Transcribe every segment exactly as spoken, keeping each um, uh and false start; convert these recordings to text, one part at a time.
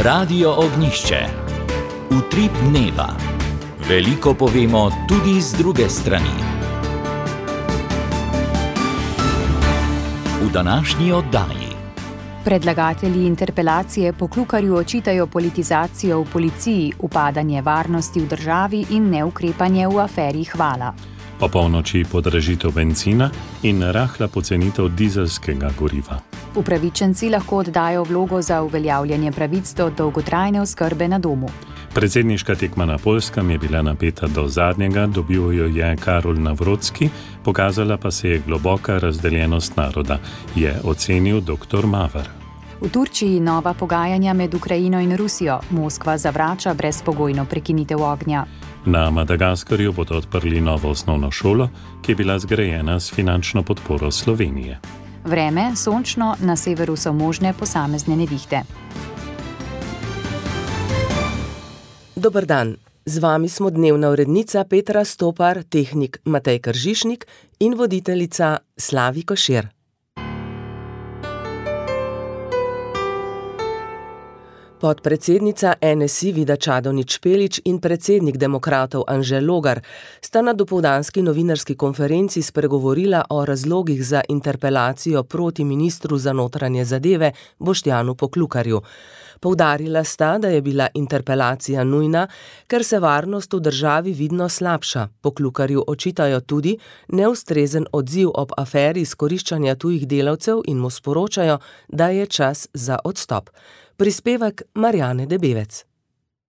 Radio Ognišče. Utrip dneva. Veliko povemo tudi z druge strani. V današnji oddaji. Predlagatelji interpelacije Poklukarju očitajo politizacijo v policiji, upadanje varnosti v državi in neukrepanje v aferi Hvala. Po polnoči podražitev bencina in rahla pocenitev dizelskega goriva. Upravičenci lahko oddajo vlogo za uveljavljanje pravic do dolgotrajne oskrbe na domu. Predsedniška tekma na Poljskem je bila napeta do zadnjega, dobil jo je Karol Navrocki, pokazala pa se je globoka razdeljenost naroda, je ocenil doktor Maver. V Turčiji nova pogajanja med Ukrajino in Rusijo. Moskva zavrača brezpogojno prekinitev ognja. Na Madagaskarju bodo odprli novo osnovno šolo, ki je bila zgrajena s finančno podporo Slovenije. Vreme, sončno, na severu so možne posamezne nevihte. Dober dan, z vami smo dnevna urednica Petra Stopar, tehnik Matej Kržišnik in voditeljica Slavi Košir. Podpredsednica N S I Vida Čadonič Špelič in predsednik demokratov Anže Logar sta na dopoldanski novinarski konferenci spregovorila o razlogih za interpelacijo proti ministru za notranje zadeve Boštjanu Poklukarju. Poudarila sta, da je bila interpelacija nujna, ker se varnost v državi vidno slabša. Poklukarju očitajo tudi neustrezen odziv ob aferi izkoriščanja tujih delavcev in mu sporočajo, da je čas za odstop. Prispevek Marjane Debevec.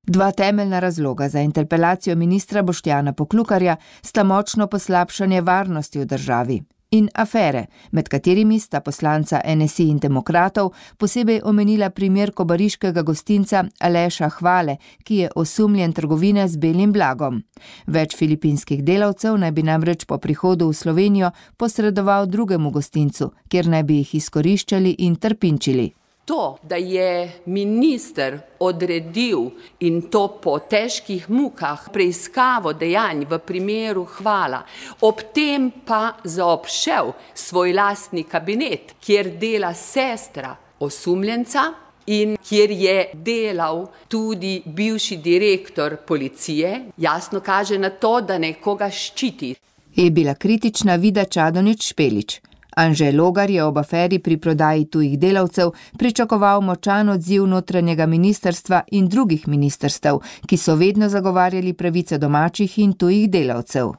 Dva temeljna razloga za interpelacijo ministra Boštjana Poklukarja sta močno poslabšanje varnosti v državi in afere, med katerimi sta poslanca N S I in demokratov posebej omenila primer kobariškega gostinca Aleša Hvale, ki je osumljen trgovine z belim blagom. Več filipinskih delavcev naj bi namreč po prihodu v Slovenijo posredoval drugemu gostincu, kjer naj bi jih izkoriščali in trpinčili. To, da je minister odredil in to po težkih mukah preiskavo dejanj v primeru Hvala, ob tem pa zaobšel svoj lastni kabinet, kjer dela sestra osumljenca in kjer je delal tudi bivši direktor policije, jasno kaže na to, da nekoga ščiti. Je bila kritična Vida Čadonič Špelič. Anže Logar je ob aferi pri prodaji tujih delavcev pričakoval močan odziv notranjega ministrstva in drugih ministrstev, ki so vedno zagovarjali pravice domačih in tujih delavcev.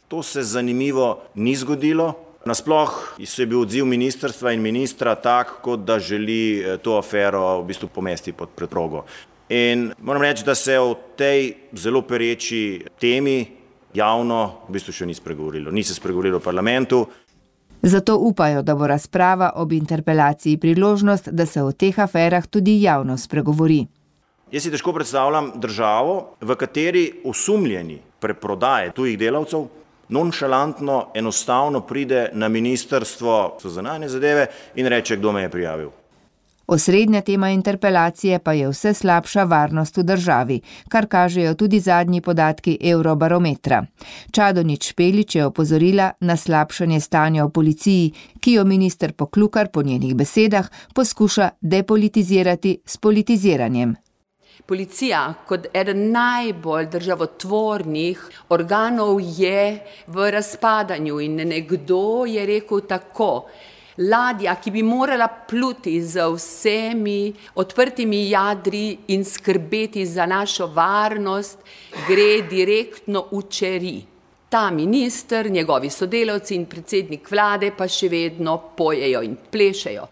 To se zanimivo ni zgodilo. Nasploh je bil odziv ministrstva in ministra tak, kot da želi to afero v bistvu pomesti pod preprogo. In moram reči, da se o tej zelo pereči temi javno v bistvu še ni spregovorilo. Ni se spregovorilo v parlamentu. Zato upajo, da bo razprava ob interpelaciji priložnost, da se o teh aferah tudi javno spregovori. Jaz si težko predstavljam državo, v kateri osumljeni preprodaje tujih delavcev nonšalantno enostavno pride na ministrstvo za zunanje zadeve in reče, kdo me je prijavil. Osrednja tema interpelacije pa je vse slabša varnost v državi, kar kažejo tudi zadnji podatki Eurobarometra. Čadonič Špelič je opozorila na slabšanje stanja v policiji, ki jo minister Poklukar po njenih besedah poskuša depolitizirati s politiziranjem. Policija kot eden najbolj državotvornih organov je v razpadanju in nekdo je rekel tako: ladja, ki bi morala pluti z vsemi odprtimi jadri in skrbeti za našo varnost, gre direktno v čeri. Ta minister, njegovi sodelavci in predsednik vlade pa še vedno pojejo in plešejo.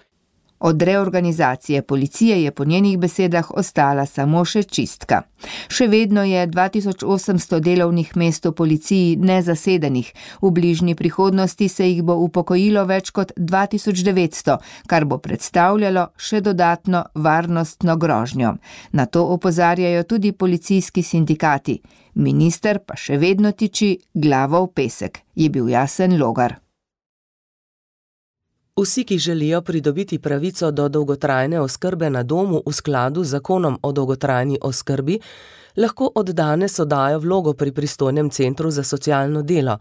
Od reorganizacije policije je po njenih besedah ostala samo še čistka. Še vedno je dva tisoč osemsto delovnih mest v policiji nezasedenih, v bližnji prihodnosti se jih bo upokojilo več kot dva tisoč devetsto, kar bo predstavljalo še dodatno varnostno grožnjo. Na to opozarjajo tudi policijski sindikati. Minister pa še vedno tiči glavo v pesek, je bil jasen Logar. Vsi, ki želijo pridobiti pravico do dolgotrajne oskrbe na domu v skladu z zakonom o dolgotrajni oskrbi, lahko od danes oddajo vlogo pri pristojnem centru za socialno delo.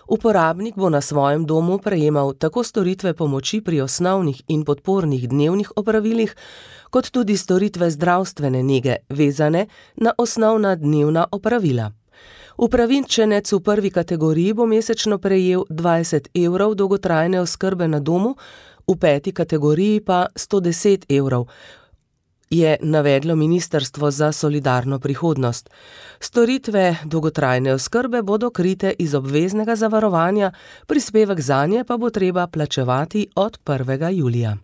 Uporabnik bo na svojem domu prejemal tako storitve pomoči pri osnovnih in podpornih dnevnih opravilih, kot tudi storitve zdravstvene nege, vezane na osnovna dnevna opravila. Upravičenec v prvi kategoriji bo mesečno prejel dvajset evrov dolgotrajne oskrbe na domu, v peti kategoriji pa sto deset evrov, je navedlo Ministrstvo za solidarno prihodnost. Storitve dolgotrajne oskrbe bodo krite iz obveznega zavarovanja, prispevek zanje pa bo treba plačevati od prvega julija.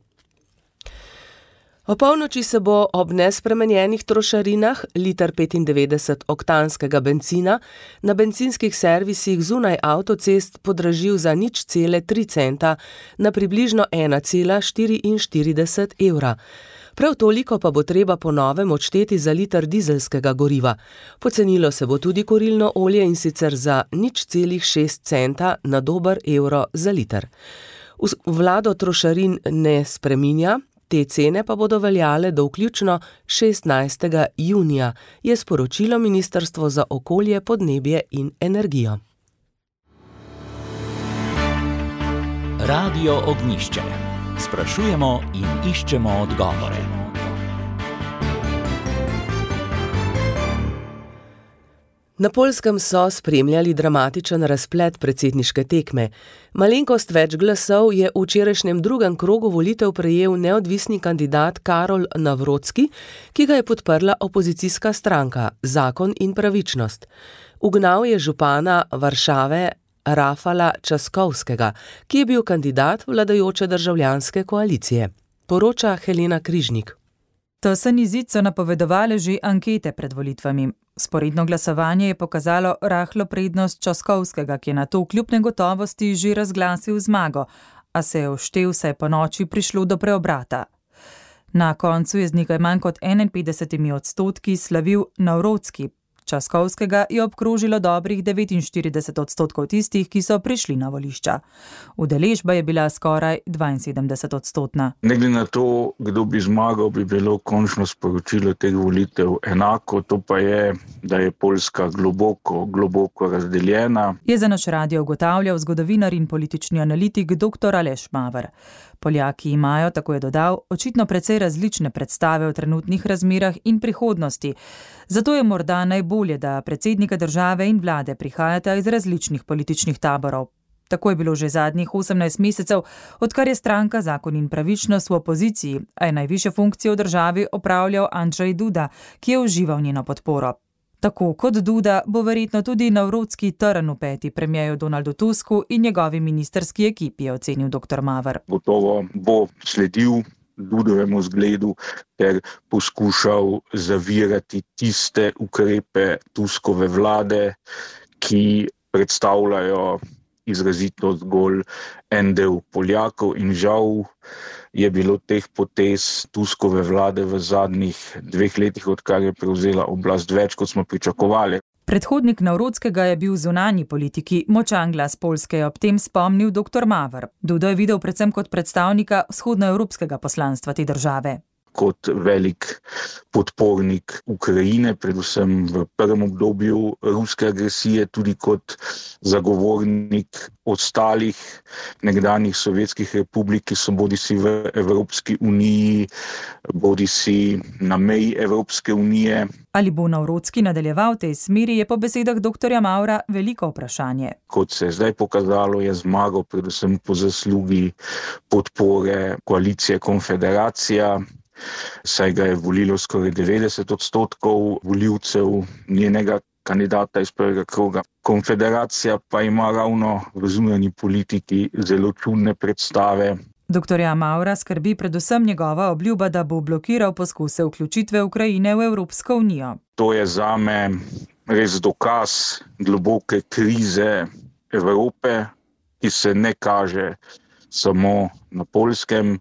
O polnoči se bo ob nespremenjenih trošarinah liter petindevetdeset oktanskega bencina na bencinskih servisih zunaj avtocest podražil za nič cele tri centa na približno ena cela štiriinštirideset evra. Prav toliko pa bo treba po novem odšteti za liter dizelskega goriva. Pocenilo se bo tudi kurilno olje, in sicer za nič celih šest centa na dober evro za liter. Vlado trošarin ne spreminja, te cene pa bodo veljale do vključno šestnajstega junija, je sporočilo Ministrstvo za okolje, podnebje in energijo. Radio Ognjišče. Sprašujemo in iščemo odgovore. Na Poljskem so spremljali dramatičen razplet predsedniške tekme. Malenkost več glasov je v včerajšnjem drugem krogu volitev prejel neodvisni kandidat Karol Nawrocki, ki ga je podprla opozicijska stranka Zakon in pravičnost. Ugnal je župana Varšave Rafala Časkovskega, ki je bil kandidat vladajoče državljanske koalicije. Poroča Helena Križnik. Tesen izid so napovedovale že ankete pred volitvami. Sporedno glasovanje je pokazalo rahlo prednost Časkovskega, ki je na to kljub negotovosti že razglasil zmago, a se je vštel, saj po noči prišlo do preobrata. Na koncu je z nekaj manj kot enainpetdesetimi odstotki slavil Nawrocki. Časkovskega je obkrožilo dobrih devetinštirideset odstotkov tistih, ki so prišli na volišča. Udeležba je bila skoraj dvainsedemdeset odstotna. Ne glede na to, kdo bi zmagal, bi bilo končno sporočilo teh volitev enako, to pa je, da je Poljska globoko, globoko razdeljena. Je za naš radio ugotavljal zgodovinar in politični analitik doktor Aleš Maver. Poljaki imajo, tako je dodal, očitno precej različne predstave o trenutnih razmerah in prihodnosti. Zato je morda najbolje, da predsednika države in vlade prihajata iz različnih političnih taborov. Tako je bilo že zadnjih osemnajst mesecev, odkar je stranka Zakon in pravičnost v opoziciji, a je najvišje funkcije v državi opravljal Andrzej Duda, ki je užival njeno podporo. Tako kot Duda bo verjetno tudi Nawrocki trn v peti premierju Donaldu Tusku in njegovi ministrski ekipi, je ocenil doktor Maver. Gotovo bo sledil Dudovemu zgledu ter poskušal zavirati tiste ukrepe Tuskove vlade, ki predstavljajo izrazito zgolj en del Poljakov, in žal je bilo teh potez Tuskove vlade v zadnjih dveh letih, odkar je prevzela oblast, več, kot smo pričakovali. Predhodnik Nawrockega je bil v zunanji politiki, močan glas Poljske, je ob tem spomnil doktor Maver. Dudo je videl predvsem kot predstavnika vzhodnoevropskega poslanstva te države. Kot velik podpornik Ukrajine, predvsem v prvem obdobju ruske agresije, tudi kot zagovornik ostalih nekdanjih sovjetskih republik, ki so bodisi v Evropski uniji, bodisi na meji Evropske unije. Ali bo Nawrocki nadaljeval tej smeri, je po besedah doktorja Mavra veliko vprašanje. Kot se je zdaj pokazalo, je zmagal predvsem po zaslugi podpore koalicije Konfederacija, saj ga je volilo skoraj devetdeset odstotkov volivcev njenega kandidata iz prvega kroga. Konfederacija pa ima ravno v zunanji politiki zelo čudne predstave. Doktorja Mavra skrbi predvsem njegova obljuba, da bo blokiral poskuse vključitve Ukrajine v Evropsko unijo. To je zame res dokaz globoke krize Evrope, ki se ne kaže samo na Poljskem,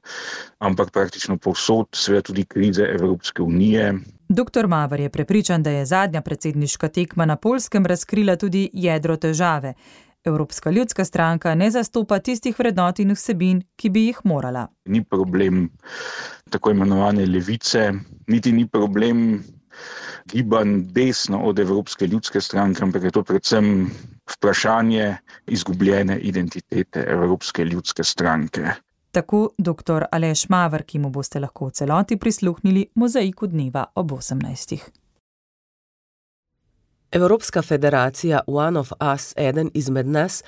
ampak praktično povsod, seveda tudi krize Evropske unije. Doktor Maver je prepričan, da je zadnja predsedniška tekma na Poljskem razkrila tudi jedro težave. Evropska ljudska stranka ne zastopa tistih vrednot in vsebin, ki bi jih morala. Ni problem tako imenovane levice, niti ni problem gibanj desno od Evropske ljudske stranke, ampak je to predvsem vprašanje izgubljene identitete Evropske ljudske stranke. Tako doktor Aleš Maver, ki mu boste lahko v celoti prisluhnili mozaiku dneva ob osemnajstih. Evropska federacija One of Us, eden izmed nas,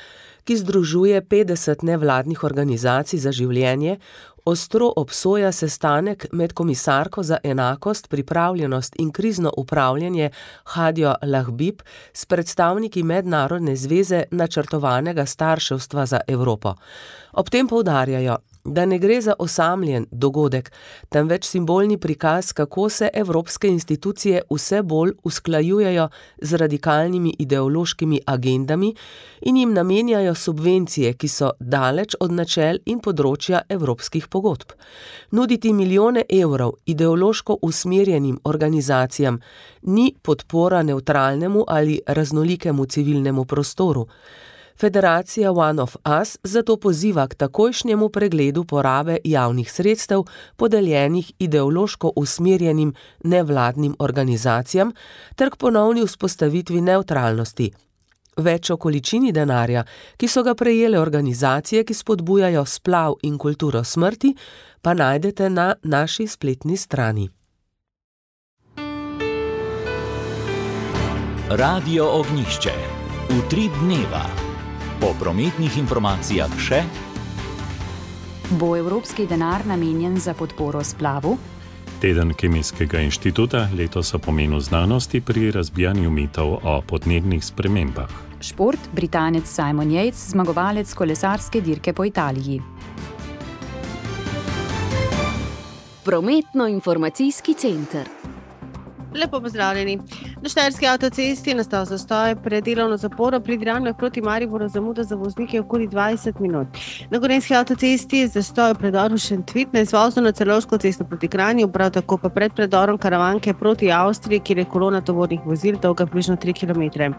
ki združuje petdeset nevladnih organizacij za življenje, ostro obsoja sestanek med komisarko za enakost, pripravljenost in krizno upravljanje Hadjo Lahbib s predstavniki Mednarodne zveze načrtovanega starševstva za Evropo. Ob tem poudarjajo, da ne gre za osamljen dogodek, temveč simbolni prikaz, kako se evropske institucije vse bolj usklajujejo z radikalnimi ideološkimi agendami in jim namenjajo subvencije, ki so daleč od načel in področja evropskih pogodb. Nuditi milijone evrov ideološko usmerjenim organizacijam ni podpora nevtralnemu ali raznolikemu civilnemu prostoru. Federacija One of Us zato poziva k takojšnjemu pregledu porabe javnih sredstev podeljenih ideološko usmerjenim nevladnim organizacijam ter k ponovni vzpostavitvi nevtralnosti. Več o količini denarja, ki so ga prejele organizacije, ki spodbujajo splav in kulturo smrti, pa najdete na naši spletni strani. Radio Ognjišče. Utrip dneva. Po prometnih informacijah še: bo evropski denar namenjen za podporo splavu? Teden Kemijskega inštituta letos o pomenu znanosti pri razbijanju mitov o podnebnih spremembah. Šport, Britanec Simon Yates, zmagovalec kolesarske dirke po Italiji. Prometno-informacijski center. Lepo pozdravljeni. Na Štajerski avtocesti je nastal zastoj pred delovno zaporo pri Dramljah proti Mariboru, zamuda za voznike okoli dvajset minut. Na Gorenjski avtocesti je zastoj v predoru Šentvid na izvozu na Celovško cesto proti Kranju, prav tako pa pred predorom Karavanke proti Avstriji, kjer je kolona tovornih vozil dolga približno tri kilometre.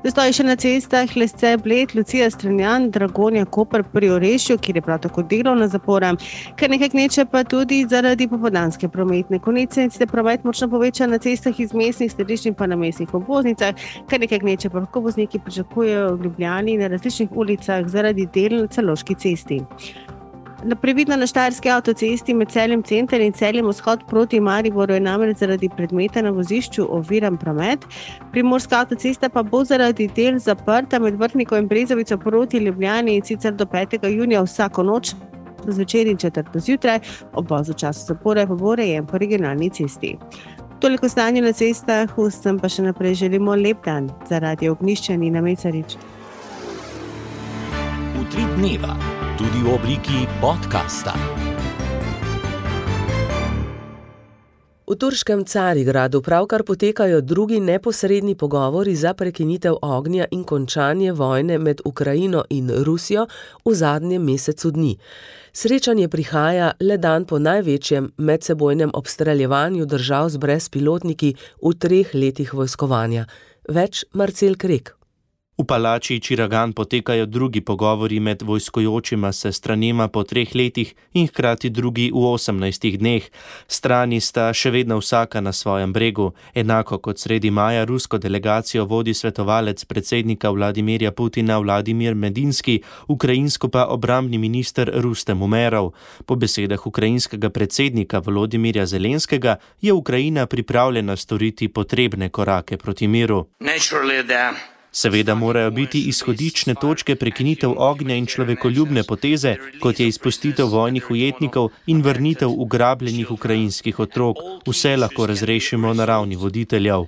Zastoj še na cestah Lesce, Bled, Lucija, Strunjan, Dragonja, Koper pri Orešju, kjer je prav tako delovna zapora. Kar nekaj gneče pa tudi zaradi popoldanske prometne konice in se promet močno poveča na cestah iz mestnih središč in pa na mestnih obvoznicah. Kar nekaj gneče pa lahko vozniki pričakujejo v Ljubljani na različnih ulicah zaradi del na Celovški cesti. Previdno na Štajerski avtocesti med Celjem center in Celjem vzhod proti Mariboru je namreč zaradi predmeta na vozišču oviran promet. Primorska avtocesta pa bo zaradi del zaprta med Vrhnikom in Brezovico proti Ljubljani in sicer do petega junija vsako noč, zvečer in četrto zjutraj, obvoz v času zapore pa bo urejen po regionalni cesti. Toliko stanje na cestah, vsem pa še naprej želimo lep dan. Za Radio Ognjišče Nina Mecarič. Utrip dneva. Tudi v obliki podcasta. V turškem Carigradu pravkar potekajo drugi neposredni pogovori za prekinitev ognja in končanje vojne med Ukrajino in Rusijo v zadnjem mesecu dni. Srečanje prihaja le dan po največjem medsebojnem obstreljevanju držav z brezpilotniki v treh letih vojskovanja. Več Marcel Krek. V palači Čiragan potekajo drugi pogovori med vojskojočima se stranema po treh letih in hkrati drugi v osemnajstih dneh. Strani sta še vedno vsaka na svojem bregu. Enako kot sredi maja rusko delegacijo vodi svetovalec predsednika Vladimirja Putina Vladimir Medinski, ukrajinsko pa obrambni minister Rustem Umerov. Po besedah ukrajinskega predsednika Volodimirja Zelenskega je Ukrajina pripravljena storiti potrebne korake proti miru. Seveda morajo biti izhodične točke prekinitev ognja in človekoljubne poteze, kot je izpustitev vojnih ujetnikov in vrnitev ugrabljenih ukrajinskih otrok. Vse lahko razrešimo na ravni voditeljev.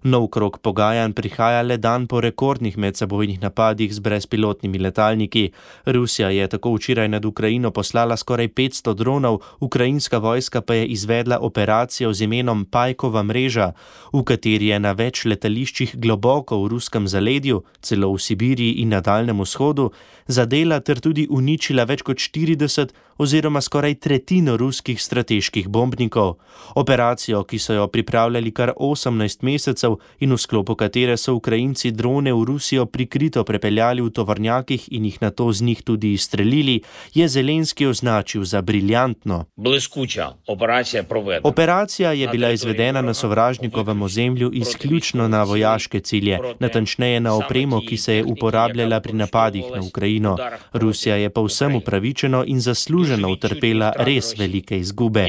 Nov krog pogajanj prihaja le dan po rekordnih medsebojnih napadih z brezpilotnimi letalniki. Rusija je tako včeraj nad Ukrajino poslala skoraj petsto dronov, ukrajinska vojska pa je izvedla operacijo z imenom Pajkova mreža, v kateri je na več letališčih globoko v ruskem zaledju, celo v Sibiriji in na Daljnem vzhodu, zadela ter tudi uničila več kot štirideset oziroma skoraj tretjino ruskih strateških bombnikov. Operacijo, ki so jo pripravljali kar osemnajst mesecev in v sklopu katere so Ukrajinci drone v Rusijo prikrito prepeljali v tovornjakih in jih nato z njih tudi izstrelili, je Zelenski označil za briljantno. Operacija je bila izvedena na sovražnikovem ozemlju izključno na vojaške cilje, natančneje na opremo, ki se je uporabljala pri napadih na Ukrajino. Rusija je povsem upravičeno in zasluženo utrpela res velike izgube.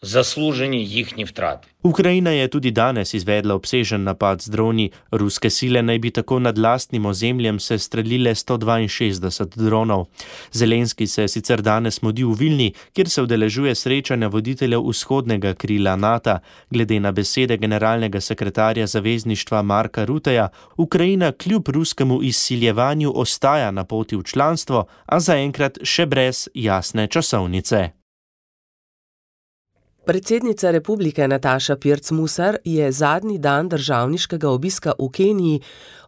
Zasluženi jihni vtrati. Ukrajina je tudi danes izvedla obsežen napad z droni. Ruske sile naj bi tako nad lastnim ozemljem se streljile sto dvainšestdeset dronov. Zelenski se sicer danes mudi v Vilni, kjer se udeležuje srečanja voditeljev vzhodnega krila NATO. Glede na besede generalnega sekretarja zavezništva Marka Rutteja, Ukrajina kljub ruskemu izsiljevanju ostaja na poti v članstvo, a zaenkrat še brez jasne časovnice. Predsednica republike Nataša Pirc Musar je zadnji dan državniškega obiska v Keniji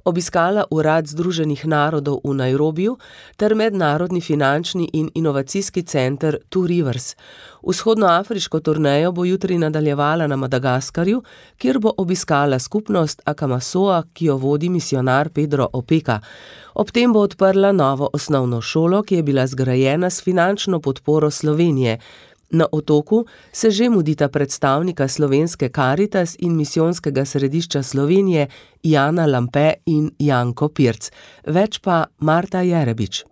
obiskala Urad Združenih narodov v Nairobiju ter Mednarodni finančni in inovacijski center Two Rivers. Vzhodnoafriško turnejo bo jutri nadaljevala na Madagaskarju, kjer bo obiskala skupnost Akamasoa, ki jo vodi misijonar Pedro Opeka. Ob tem bo odprla novo osnovno šolo, ki je bila zgrajena s finančno podporo Slovenije. Na otoku se že mudita predstavnika slovenske Karitas in misijonskega središča Slovenije Jana Lampe in Janko Pirc. Več pa Marta Jerebič.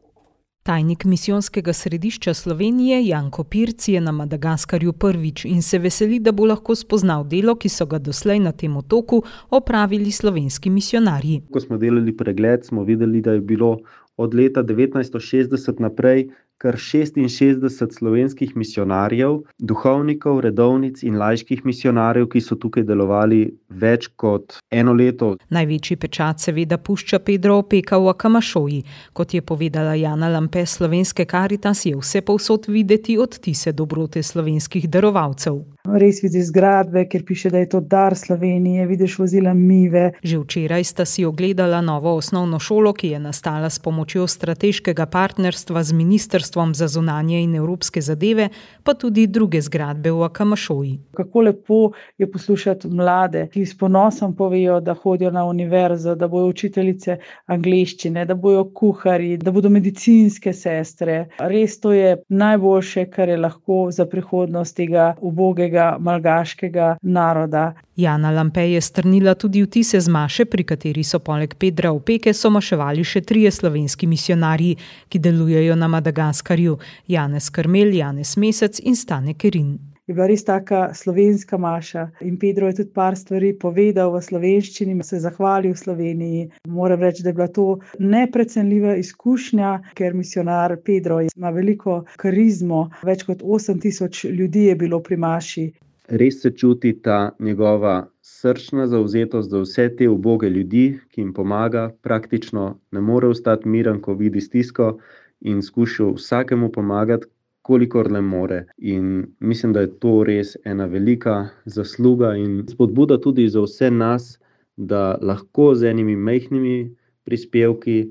Tajnik misijonskega središča Slovenije Janko Pirc je na Madagaskarju prvič in se veseli, da bo lahko spoznal delo, ki so ga doslej na tem otoku opravili slovenski misijonarji. Ko smo delali pregled, smo videli, da je bilo od leta devetnajststo šestdeset naprej kar šestinšestdeset slovenskih misijonarjev, duhovnikov, redovnic in laiških misijonarjev, ki so tukaj delovali več kot eno leto. Največji pečat seveda pušča Pedro Opeka v Akamašoji. Kot je povedala Jana Lampe slovenske Karitas, je vse povsod videti odtise dobrote slovenskih darovalcev. Res vidiš zgradbe, ker piše, da je to dar Slovenije, vidiš vozila Mive. Že včeraj sta si ogledala novo osnovno šolo, ki je nastala s pomočjo strateškega partnerstva z Ministrstvom za zunanje in evropske zadeve, pa tudi druge zgradbe v Akamašoji. Kako lepo je poslušati mlade, ki s ponosom povejo, da hodijo na univerzo, da bojo učiteljice angleščine, da bojo kuharji, da bodo medicinske sestre. Res to je najboljše, kar je lahko za prihodnost tega ubogega malgaškega naroda. Jana Lampe je strnila tudi vtise z maše, pri kateri so poleg Pedra Opeke so maševali še trije slovenski misijonarji, ki delujejo na Madagaskarju: Janez Krmelj, Janez Mesec in Stane Kerin. Je bila res taka slovenska maša in Pedro je tudi par stvari povedal v slovenščini, se zahvalil v Sloveniji. Moram reči, da je bila to neprecenljiva izkušnja, ker misijonar Pedro ima veliko karizmo, več kot osem tisoč ljudi je bilo pri maši. Res se čuti ta njegova srčna zavzetost za vse te uboge ljudi, ki jim pomaga, praktično ne more ostati miren, ko vidi stisko in skuša vsakemu pomagati, kolikor le more. In mislim, da je to res ena velika zasluga in spodbuda tudi za vse nas, da lahko z enimi majhnimi prispevki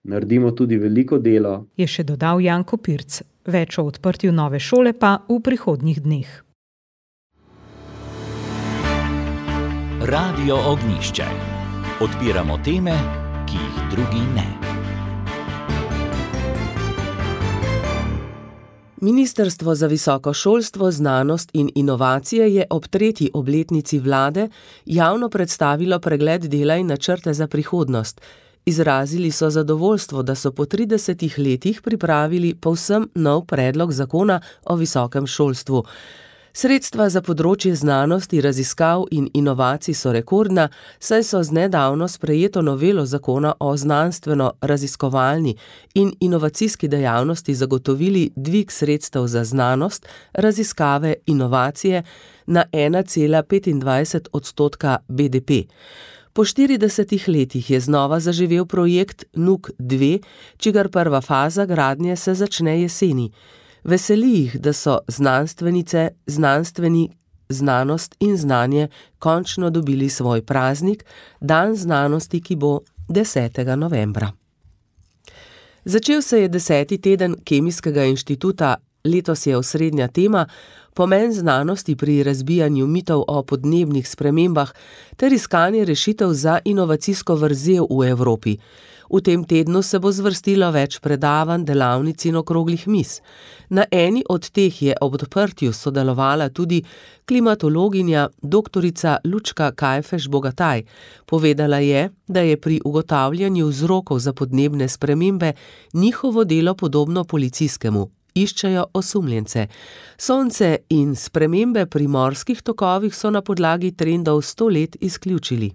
naredimo tudi veliko delo. Je še dodal Janko Pirc. Več o odprtju nove šole pa v prihodnjih dneh. Radio Ognjišče. Odpiramo teme, ki jih drugi ne. Ministrstvo za visoko šolstvo, znanost in inovacije je ob tretji obletnici vlade javno predstavilo pregled dela in načrte za prihodnost. Izrazili so zadovoljstvo, da so po tridesetih letih pripravili povsem nov predlog zakona o visokem šolstvu. Sredstva za področje znanosti, raziskav in inovacij so rekordna, saj so z nedavno sprejeto novelo zakona o znanstveno-raziskovalni in inovacijski dejavnosti zagotovili dvig sredstev za znanost, raziskave, inovacije na ena cela petindvajset odstotka B D P. Po štiridesetih letih je znova zaživel projekt N U K dve, čigar prva faza gradnje se začne jeseni. Veseli jih, da so znanstvenice, znanstveni, znanost in znanje končno dobili svoj praznik, dan znanosti, ki bo desetega novembra. Začel se je deseti teden Kemijskega inštituta, letos je osrednja tema pomen znanosti pri razbijanju mitov o podnebnih spremembah ter iskanje rešitev za inovacijsko vrzel v Evropi. V tem tednu se bo zvrstilo več predavanj, delavnic in okroglih miz. Na eni od teh je ob odprtju sodelovala tudi klimatologinja doktorica Lučka Kajfež-Bogataj. Povedala je, da je pri ugotavljanju vzrokov za podnebne spremembe njihovo delo podobno policijskemu. Iščejo osumljence. Sonce in spremembe pri morskih tokovih so na podlagi trendov sto let izključili.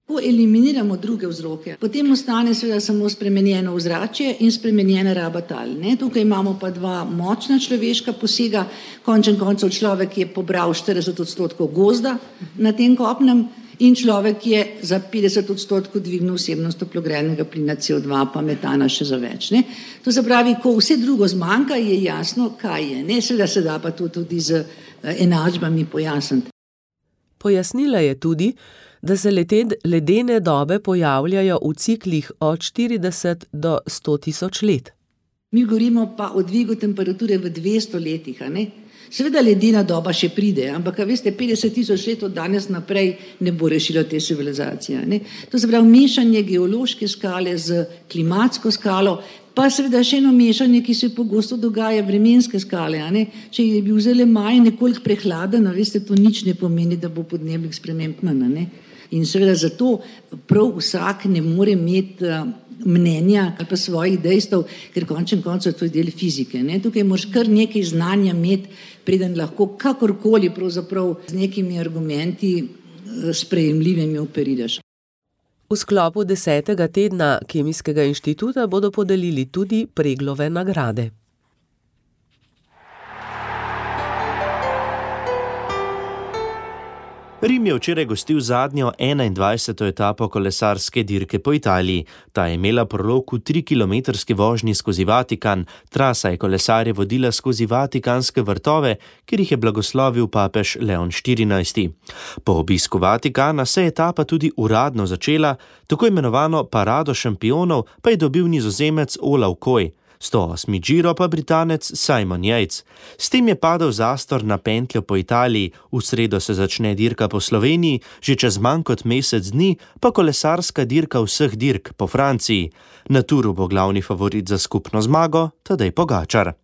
Ko eliminiramo druge vzroke, potem ostane seveda samo spremenjeno ozračje in spremenjena raba tal. Ne? Tukaj imamo pa dva močna človeška posega. Končen koncev človek je pobral štirideset odstotkov gozda na tem kopnem in človek je za petdeset odstotkov dvignil vsebnost toplogrednega plina C O dva pa metana še za več. Ne? To se pravi, ko vse drugo zmanjka, je jasno, kaj je. Ne? Seveda se da pa to tudi z enačbami pojasniti. Pojasnila je tudi, da se led, ledene dobe pojavljajo v ciklih od štirideset do sto tisoč let. Mi govorimo pa o dvigu temperature v dvesto letih, a ne? Seveda ledena doba še pride, ampak, veste, petdeset tisoč let od danes naprej ne bo rešilo te civilizacije, ne? To se pravi mešanje geološke skale z klimatsko skalo, pa seveda še eno mešanje, ki se pogosto dogaja, vremenske skale, a ne? Če je bil zelo maj nekoliko prehladen, veste, to nič ne pomeni, da bo podnebnih sprememb manj, ne? In seveda zato prav vsak ne more imeti mnenja ali pa svojih dejstev, ker končen koncev to je del fizike. Ne? Tukaj moraš kar nekaj znanja imeti, preden lahko kakorkoli pravzaprav z nekimi argumenti sprejemljivimi operiraš. V sklopu desetega tedna Kemijskega inštituta bodo podelili tudi Preglove nagrade. Rim je včeraj gostil zadnjo enaindvajseto etapo kolesarske dirke po Italiji. Ta je imela prolog v trikilometrski vožnji skozi Vatikan. Trasa je kolesarje vodila skozi vatikanske vrtove, kjer jih je blagoslovil papež Leon štirinajsti. Po obisku Vatikana se je etapa tudi uradno začela, tako imenovano parado šampionov pa je dobil Nizozemec Olav Koj. sto osmi Giro pa Britanec Simon Yates. S tem je padel zastor na pentljo po Italiji, v sredo se začne dirka po Sloveniji, že čez manj kot mesec dni pa kolesarska dirka vseh dirk po Franciji. Na Turu bo glavni favorit za skupno zmago Tadej Pogačar.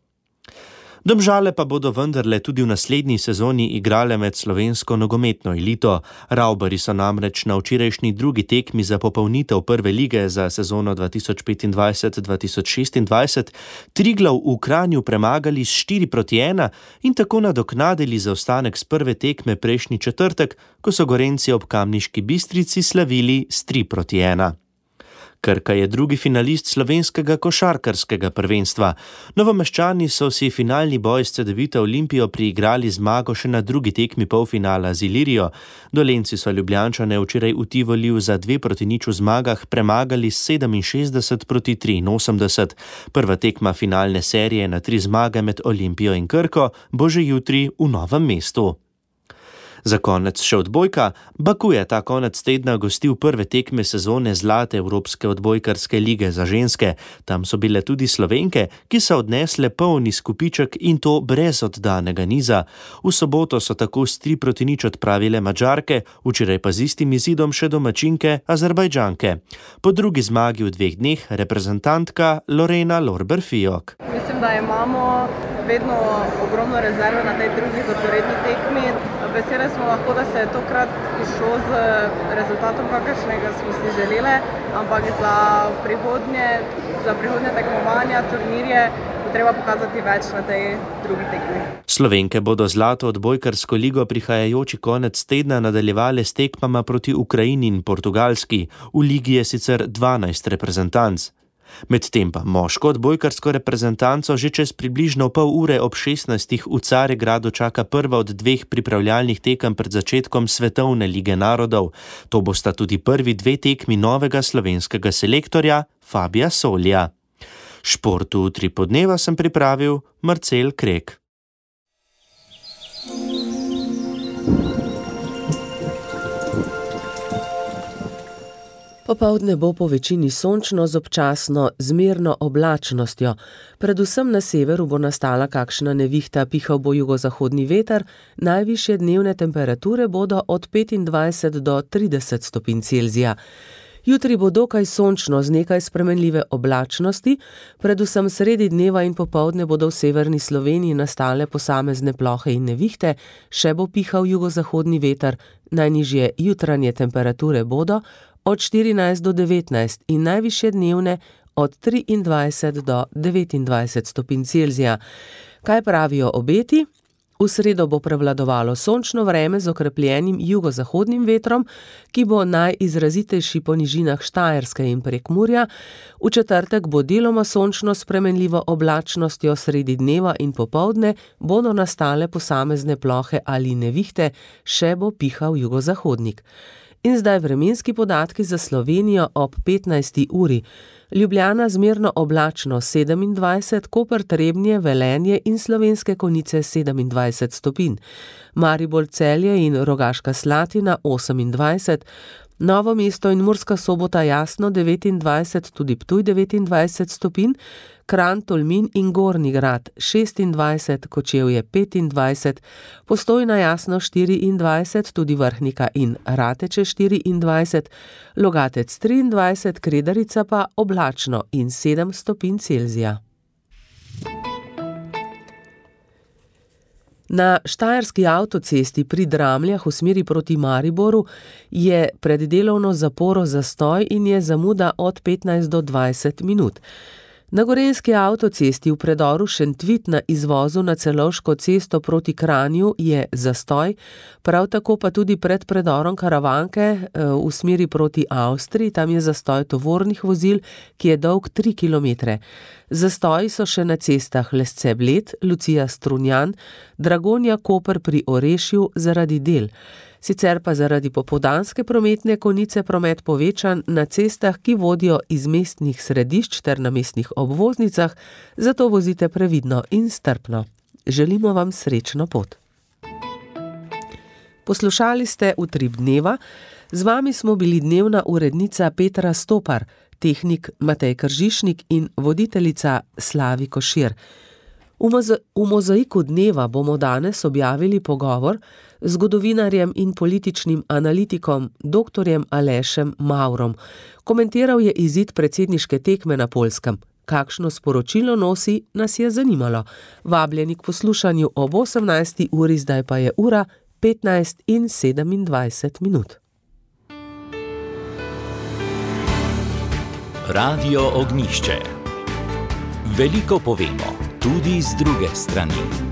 Domžale pa bodo vendarle tudi v naslednji sezoni igrale med slovensko nogometno elito. Ravbari so namreč na včerajšnji drugi tekmi za popolnitev prve lige za sezono dva tisoč petindvajset dva tisoč šestindvajset Triglav v Kranju premagali s štiri proti ena in tako nadoknadili zaostanek s prve tekme prejšnji četrtek, ko so Gorenci ob Kamniški Bistrici slavili s tri proti ena. Krka je drugi finalist slovenskega košarkarskega prvenstva. Novomeščani so si finalni boj s Cedevito Olimpijo priigrali zmago še na drugi tekmi polfinala z Ilirijo. Dolenci so Ljubljančane včeraj v Tivoliju za dve proti nič v zmagah premagali s sedeminšestdeset proti triinosemdeset. Prva tekma finalne serije na tri zmage med Olimpijo in Krko bo že jutri v Novem mestu. Za konec še odbojka. Baku je ta konec tedna gostil prve tekme sezone zlate Evropske odbojkarske lige za ženske. Tam so bile tudi Slovenke, ki so odnesle polni skupiček in to brez oddanega niza. V soboto so tako s tri proti nič odpravile Madžarke, včeraj pa z istim izidom še domačinke Azerbajdžanke. Po drugi zmagi v dveh dneh reprezentantka Lorena Lorber-Fijok. Mislim, da imamo vedno ogromno rezerve na tej drugi zaporedni tekmi. Veseli smo lahko, da se je tokrat išlo z rezultatom, kakršnega smo si želeli, ampak za prihodnje, za prihodnje tekmovanja, turnirje bo treba pokazati več na tej drugi tekmi. Slovenke bodo zlato odbojkarsko ligo prihajajoči konec tedna nadaljevale s tekmama proti Ukrajini in Portugalski. V ligi je sicer dvanajst reprezentanc. Medtem pa moško odbojkarsko reprezentanco že čez približno pol ure ob šestnajstih v Carigradu čaka prva od dveh pripravljalnih tekem pred začetkom Svetovne lige narodov. To bosta tudi prvi dve tekmi novega slovenskega selektorja Fabija Solja. Športu tri podneva sem pripravil Marcel Krek. Po Popoldne bo po večini sončno z občasno zmerno oblačnostjo. Predvsem na severu bo nastala kakšna nevihta, pihal bo jugozahodni veter, najvišje dnevne temperature bodo od petindvajset do trideset stopinj Celzija. Jutri bo dokaj sončno z nekaj spremenljive oblačnosti, predvsem sredi dneva in popoldne bodo v severni Sloveniji nastale posamezne plohe in nevihte, še bo pihal jugozahodni veter, najnižje jutranje temperature bodo od štirinajst do devetnajst in najvišje dnevne od triindvajset do devetindvajset stopinj Celzija. Kaj pravijo obeti? V sredo bo prevladovalo sončno vreme z okrepljenim jugozahodnim vetrom, ki bo najizrazitejši po nižinah Štajerske in Prekmurja. V četrtek bo deloma sončno spremenljivo oblačnostjo, sredi dneva in popoldne bodo nastale posamezne plohe ali nevihte, še bo pihal jugozahodnik. In zdaj vremenski podatki za Slovenijo ob petnajsti uri. Ljubljana zmerno oblačno sedemindvajset, Koper, Trebnje, Velenje in Slovenske Konjice sedemindvajset stopinj. Maribor, Celje in Rogaška Slatina osemindvajset, Novo mesto in Murska Sobota jasno devetindvajset, tudi Ptuj devetindvajset stopinj, Kranj, Tolmin in Gornji Grad šestindvajset, Kočevje petindvajset, Postojna jasno štiriindvajset, tudi Vrhnika in Rateče štiriindvajset, Logatec triindvajset, Kredarica pa oblačno in sedem stopinj Celzija. Na Štajerski avtocesti pri Dramljah v smeri proti Mariboru je pred delovno zaporo zastoj in je zamuda od petnajst do dvajset minut. Na Gorenjski avtocesti v predoru Šentvit na izvozu na Celovško cesto proti Kranju je zastoj, prav tako pa tudi pred predorom Karavanke v smeri proti Avstriji, tam je zastoj tovornih vozil, ki je dolg tri kilometre. Zastoji so še na cestah Lesce-Bled, Lucija-Strunjan, Dragonja-Koper pri Orešju zaradi del. Sicer pa zaradi popoldanske prometne konice promet povečan na cestah, ki vodijo iz mestnih središč ter na mestnih obvoznicah, zato vozite previdno in strpno. Želimo vam srečno pot. Poslušali ste Utrip dneva, z vami smo bili dnevna urednica Petra Stopar, tehnik Matej Kržišnik in voditeljica Slavi Košir. V, moza- v mozaiku dneva bomo danes objavili pogovor z zgodovinarjem in političnim analitikom doktorjem Alešem Maurom. Komentiral je izid predsedniške tekme na Poljskem. Kakšno sporočilo nosi, nas je zanimalo. Vabljeni k poslušanju ob osemnajsti uri, zdaj pa je ura petnajst in sedemindvajset minut. Radio Ognjišče. Veliko povemo, tudi z druge strani.